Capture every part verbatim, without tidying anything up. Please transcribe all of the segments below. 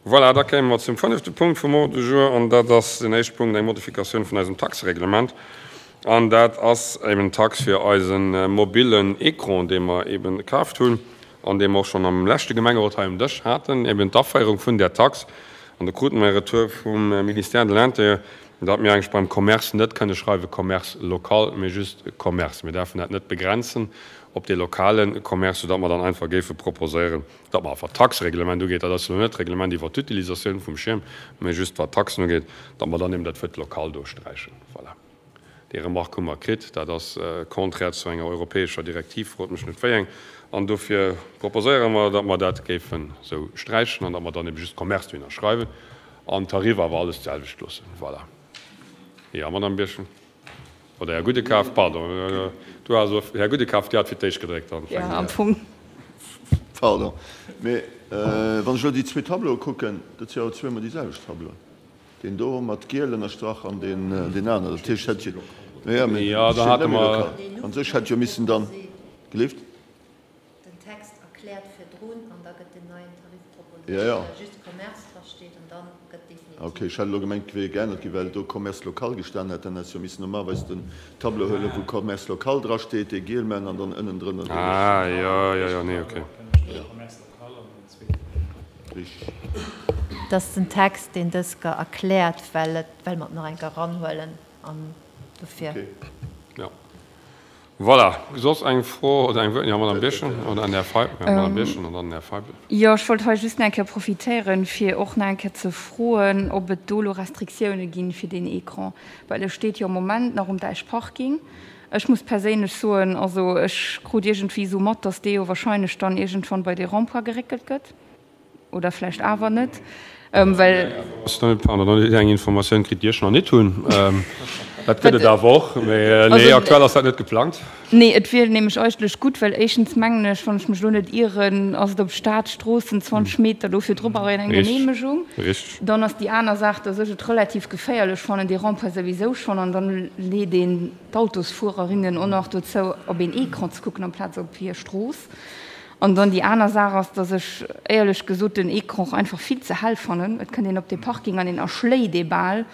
Voilà, da kéime mer zum fënnefte Punkt vum Ordre du jour, an dat ass den éischte Punkt, eng Modifikatioun vun eisem Taxereglement. An dat ass eben d'Tax fir eise mobillen Écran, dee mer eben kaaft hunn an dee mer och schonn am leschte Gemengerot hei um Dësch haten, eben d'Aféierung vun där Tax. An do krute mer e Retour vum Ministère de l'Intérieur, datt mir eigentlech beim Commerce net kënne schreiwe Commerce local, mee just Commerce. Mir däerfen dat net begrenzen op dee lokale Commerce, soudatt mer dann einfach géife proposéieren, datt mer, wat d'Taxereglement ugeet, dat ass elo net d'Reglement iwwert d'Utilisatioun vum Schierm, mee just wat d'Taxen ugeet, datt mer dann eben dat Wuert local do sträichen. Voilà. Déi Remarque hu mer kritt. Dat ass contraire zu enger europäescher Direktiv, frot mech net wéi eng. An dofir proposéiere mer, datt mer dat géifen esou sträichen an datt mer dann eben just Commerce dohinner schreiwen an d'Tarif awer alles d'selwecht loossen. Voilà. Jo, Madame Birchen. Oder Här Gudekaf, pardon. Du has, Här Gudekaf, Dir hat fir d'éischt gedréckt. Dann fänke mer. Am Fong. Pardon, mee wann ech elo déi zwee Tableaue kucken, dat si jo zweemol déi selwecht Tableauen. Deen do mat giel ënnerstrach an deen aneren. Dat heescht, hätt jo, jo, mee Jo, da hate mer. An sech hätt jo missen dann, gelift? Den Text erkläert virdrun an da gëtt den neien Tarif Jo, jo. proposéiert, well just Commerce drasteet an dann gëtt definitiv. Ok, ech hat elo gemengt, et wier geännert ginn, well do Commerce local gestan hätt. Dann häss jo missen normalerweis den Tableau huelen, wou Commerce local drasteet, dee giel man an dann ënnendrënner dee. Ah, jo, jo, jo, nee, ok. Richteg. Et ass den Text, deen dës ger erkläert, well et, well mer et nach eng Kéier eranhuelen an dofir. Ok. Jo. Voilà. Soss eng Fro oder eng Wuert? Jo, Madame Birchen oder an Här Feibel. Jo, Madame Birchen an dann den Här Feibel. Jo, ech wollt hei just nach eng Kéier profitéieren, fir och nach eng Kéier ze froen, ob et do elo Restriktioune ginn fir deen Écran, well e steet jo am Moment nach um Däich Parking. Ech muss perséinlech soen, also ech krut iergendwéi esou mat, dass dee jo wahrscheinlech dann iergendwann bei dee Rond-point geréckelt gëtt. Oder vläicht awer net, well. Pardon, dann hutt Dir eng Informatioun kritt, déi ech nach net hunn. Dat gëtt et awer och. Mee nee, aktuell ass dat net geplangt. Nee, et wier nämlech eigentlech gutt, well éischtens mengen ech, wann ech mech elo net ieren, ass et op Staatsstroossen zwanzeg Meter, dofir drop awer eng Geneemegung. Richteg. Dann ass déi aner Saach, dass ech et relativ geféierlech fannen, dee Rond-point souwisou schonn, an dann leet een d'Autosfuererinnen och nach dozou, op een Ecran ze kucken amplaz op hir Strooss. An dann déi aner Saach ass, dass ech éierlech gesot den Ecran och einfach vill ze hell fannen. Et kënnt een op dee Parking an een erschléit ee bal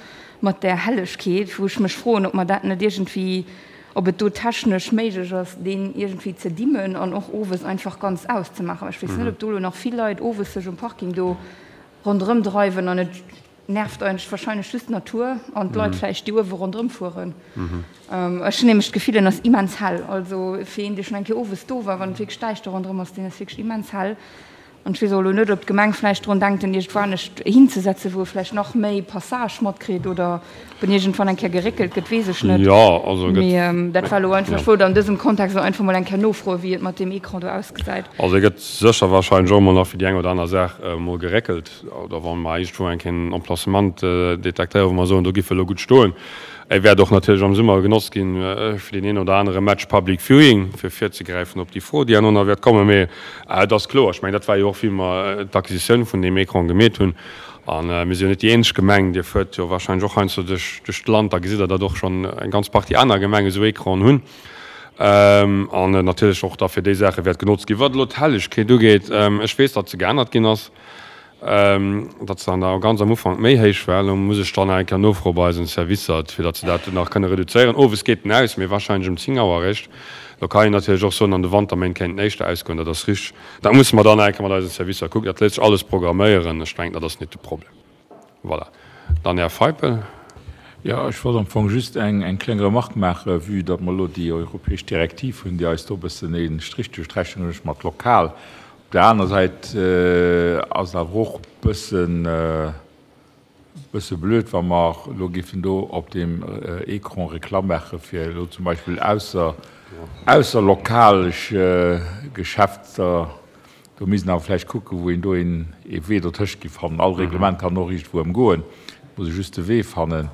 mat där Hellegkeet, wou ech mech froen, ob mer dat net iergendwéi, ob et do technesch méiglech ass, deen iergendwéi ze dimmen an och owes einfach ganz auszemaachen. Well ech weess net, ob do elo nach vill Leit owes sech um Parking do ronderëm dreiwen an et nervt eigentlech wahrscheinlech just d'Natur an d'Leit vläicht, déi uewe ronderëm fueren. Ech hunn nämlech d'Gefill, en ass immens hell. Also fir een, dee schonn eng Kéier owes do war, wann et wierklech däischter ronderëm ass, deen ass wierklech immens hell. An ech weess och elo net, ob d'Gemeng vläicht drun denkt, en iergendwou anescht hinzesetzen, wou e vläicht nach méi Passage matkritt oder ob en iergendwann eng Kéier geréckelt gëtt, weess ech net. Jo, also e gëtt. Mee dat war elo einfach, ech wollt an dësem Kontext elo einfach mol eng Kéier nofroen, wéi et mat deem Ecran do ausgesäit. Also e gëtt sécher wahrscheinlech och emol nach fir déi eng oder aner Saach emol geréckelt. Oder wa mer iergendwou eng Kéier en Emplacement detektéieren, wou mer soen, do giff e lo gutt stoen. E wäert och natierlech am Summer genotzt ginn fir deen een oder anere Match Public Viewing, fir virzegräifen op déi Fro, déi herno nach wäert kommen. Mee et ass kloer, ech mengen, dat war jo och, wéi mer d'Acquisitioun vun deem Ecran gemeet hunn. A mir si jo net déi eenzeg Gemeng, Dir fuert jo wahrscheinlech och heiansdo duerch duerch d'Land, da gesitt Der, datt och schonn eng ganz Partie aner Gemenge esou Ecranen hunn. An natierlech och da fir déi Saache wäert genotzt ginn. Wat elo d'Hellegkeet ugeet, ech weess, datt se geännert ginn ass, datt se an der ganz am Ufank méi héich war. Elo muss ech dann nach eng Kéier nofroe bei eisen Servicer, fir datt se dat nach kënne reduzéieren. Owes geet en aus, mee wahrscheinlech ëm zéng Auer eréischt. Lo kann een natierlech och soen, an de Wanterméint kéint en éischter ausgoen, dat ass richteg. Dat musse mer dann nach eng Kéier mat eisen Servicer kucken. Dat léisst sech alles programméieren. Ech mengen, dat ass net de Problem. Voilà. Dann Här Feipel. Jo, ech wollt am Fong just eng eng kleng Remarque maachen, vue datt mer elo déi europäesch Direktiv hunn, déi eis do e bëssen ee Strich duerch d'Rechnung mécht mat lokal. Op der aner Säit ass et awer och e bëssen, bësse blöd, wa mer elo géifen do op deem Écran Reklamm maache fir elo zum Beispill ausser, ausserlokalesch Geschäfter. Do misst een awer vläicht kucken, wou een do een ee Wee dotëscht géif fannen. All Reglement kann och iergendwou ëmgoen, et muss ee just de Wee fannen,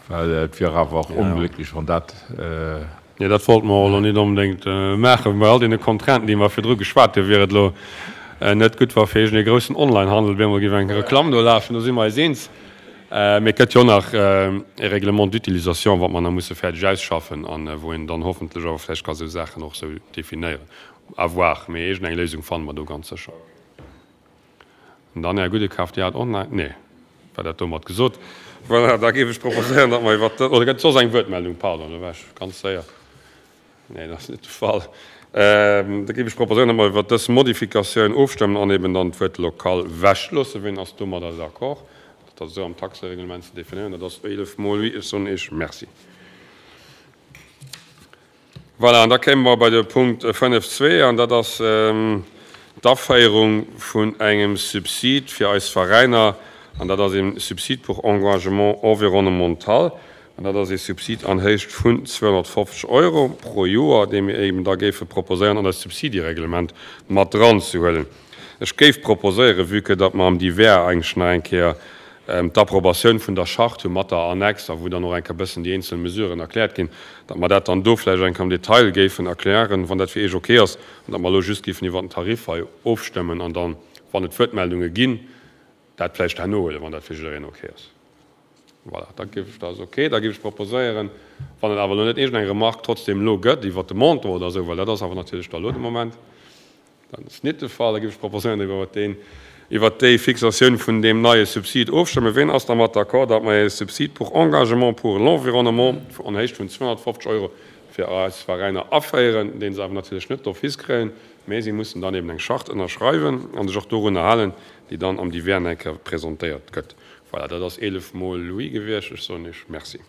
well et wier awer och onglécklech, wann dat. Jo, dat wollte mer och elo net onbedéngt maachen. Bei all deene Contrainten, déi mer virdru geschwat hunn, wier et elo net gutt, wa fir iergendee groussen Onlinehandel op eemol géif eng Reklamm do lafen. Do si mer eis eens. Mee et gëtt jo och nach e Règlement d'utilisation, wat mer nach musse fäerdeg ausschaffen a wou een dann hoffentlech awer vläicht ka sou Saachen och sou definéieren. À voir. Mee iergendeng Léisung fanne mer do ganz sécher. An dann, Här Gudekaf, Dir hat och nach, nee, war dat domat gesot? Voilà, da géif ech proposéieren, datt mer iwwert, oder gëtt et soss eng Wuertmeldung? Pardon, do war ech ganz séier. Nee, dat ass net de Fall. Da géif ech proposéieren, datt mer iwwert dës Modifikatioun ofstëmmen an eben dann d'Wuert local wechloossen. Wien ass domadder d'accord, dat esou am Taxereglement ze definéieren? Dat ass eelef mol oui. Ech soen Iech Merci. Voilà, an da kéime mer bei de Punkt fënnef zwee, an dat ass d'Aféierung vun engem Subsid fir eis Veräiner, an dat ass e Subside pour engagement environnemental, an dat ass e Subsid an Héicht vun zweehonnertfofzeg Euro pro Joer, dee mir eben da géife proposéieren an eist Subsidiereglement mat dranzehuelen. Ech géif proposéieren, vue que datt mer am Divers eigentlech nach eng Kéier d'Approbatioun vun der Charte hu mat der Annex a wou dann och eng Kéier e bëssen déi eenzel Mesuren erkläert ginn, datt mer dat dann do vläicht eng Kéier am Detail géifen erklären, wann dat fir Iech ok ass, an datt mer elo just géifen iwwert den Tarif hei ofstëmmen an dann, wann et Wuertmeldunge ginn, dat vläicht herno huelen, wann dat fir jiddereen ok ass. Voilà, da géif ech, dat ass ok, da géif ech proposéieren, wann et awer elo net iergendeng Remarque trotzdem elo gëtt iwwert de Montant oder esou, well dat ass awer natierlech da elo de Moment, Dat ass nit de Fall. Da géif ech proposéieren, datt mer iwwert deen, iwwert déi Fixatioun vun deem neie Subsid ofstëmmen. Ween ass dermat d'accord, datt mer e Subside pour engagement pour l'environnement an Héicht vun zweehonnertfofzeg Euro fir eis Veräiner aféieren, dee se awer natierlech net d'office kréien, mä si mussen dann eben eng Charte ënnerschreiwen a sech och dorunner halen, déi dann am Divers eng Kéier presentéiert gëtt. Voilà, dat ass eelef mol oui gewiescht. Ech soen Iech Merci.